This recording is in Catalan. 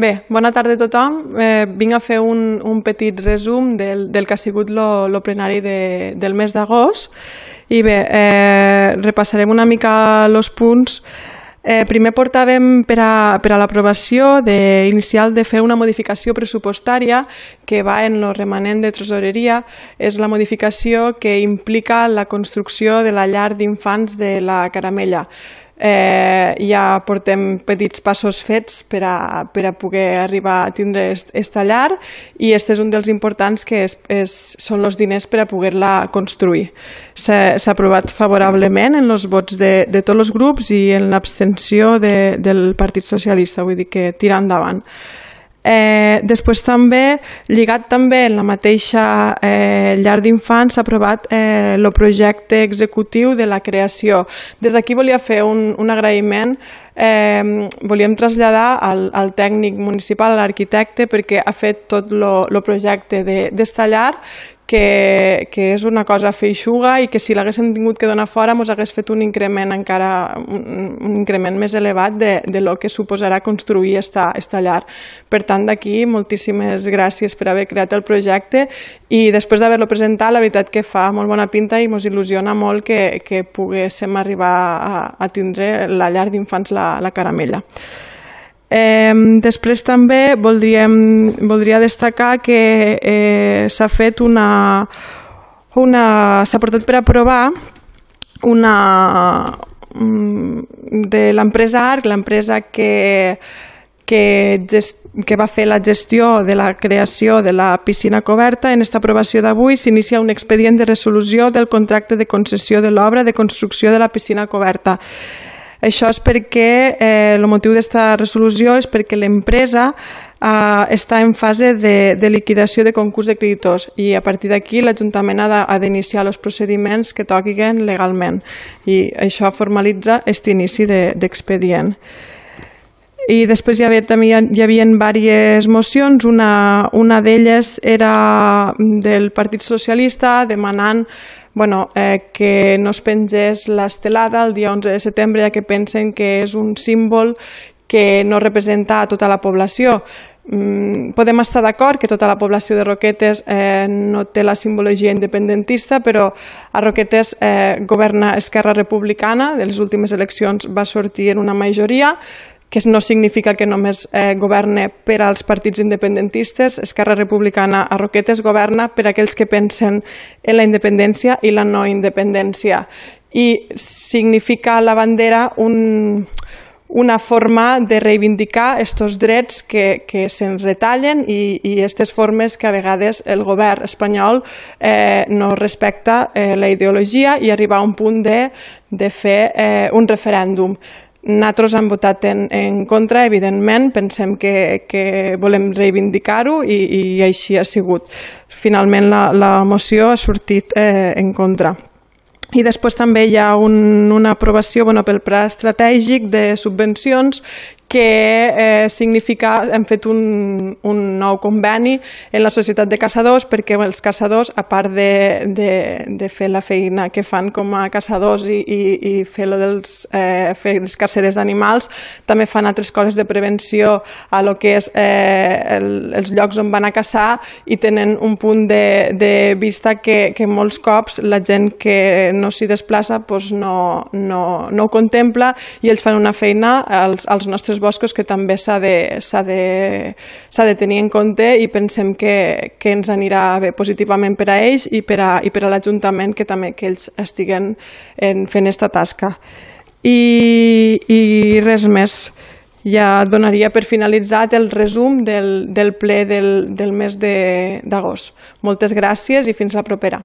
Bé, bona tarda a tothom. Vinc a fer un petit resum del que ha sigut el plenari del mes d'agost. I bé, repassarem una mica els punts. Primer portàvem per a l'aprovació inicial de fer una modificació pressupostària que va en el remanent de tresoreria. És la modificació que implica la construcció de la llar d'infants de la Caramella. Ja portem petits passos fets per a poder arribar a tindre aquesta llar i aquest és un dels importants que són els diners per a poder-la construir. S'ha aprovat favorablement en els vots de tots els grups i en l'abstenció del Partit Socialista, vull dir que tira endavant. Després també, lligat també en la mateixa llar d'infants, s'ha aprovat el projecte executiu de la creació. Des d'aquí volia fer un agraïment. Volíem traslladar al tècnic municipal, a l'arquitecte, perquè ha fet tot el projecte d'esta llar, que és una cosa feixuga i que si l'haguéssim tingut que donar fora ens hagués fet un increment encara un increment més elevat de lo que suposarà construir esta llar. Per tant, d'aquí, moltíssimes gràcies per haver creat el projecte i després d'haver-lo presentat, la veritat que fa molt bona pinta i ens il·lusiona molt que poguéssim arribar a tindre la llar d'infants la Caramella. Després també voldria destacar que s'ha fet s'ha portat per aprovar de l'empresa ARC, l'empresa que va fer la gestió de la creació de la piscina coberta. En aquesta aprovació d'avui s'inicia un expedient de resolució del contracte de concessió de l'obra de construcció de la piscina coberta. Això és perquè el motiu d'esta resolució és perquè l'empresa està en fase de liquidació de concurs de creditors i a partir d'aquí l'Ajuntament ha d'iniciar els procediments que toquin legalment i això formalitza aquest inici d'expedient. I després hi havia diverses mocions, una d'elles era del Partit Socialista demanant que no es pengés l'estelada el dia 11 de setembre, ja que pensen que és un símbol que no representa a tota la població. Podem estar d'acord que tota la població de Roquetes no té la simbologia independentista, però a Roquetes governa Esquerra Republicana, de les últimes eleccions va sortir en una majoria, que no significa que només governa per als partits independentistes. Esquerra Republicana a Roquetes governa per a aquells que pensen en la independència i la no independència. I significa la bandera una forma de reivindicar aquests drets que se'ns retallen i aquestes formes que a vegades el govern espanyol no respecta la ideologia i arribar a un punt de fer un referèndum. Nosaltres hem votat en contra, evidentment, pensem que volem reivindicar-ho i així ha sigut. Finalment la moció ha sortit en contra. I després també hi ha una aprovació pel pla estratègic de subvencions que significa, hem fet un nou conveni en la Societat de Caçadors perquè els caçadors, a part de fer la feina que fan com a caçadors i fer les caceres d'animals, també fan altres coses de prevenció a lo que és els llocs on van a caçar i tenen un punt de vista que molts cops la gent que no s'hi desplaça no ho contempla i ells fan una feina als nostres boscos que també s'ha de tenir en compte i pensem que ens anirà bé positivament per a ells i per a l'Ajuntament que també que ells estiguen fent aquesta tasca. I res més. Ja donaria per finalitzat el resum del ple del mes d'agost. Moltes gràcies i fins la propera.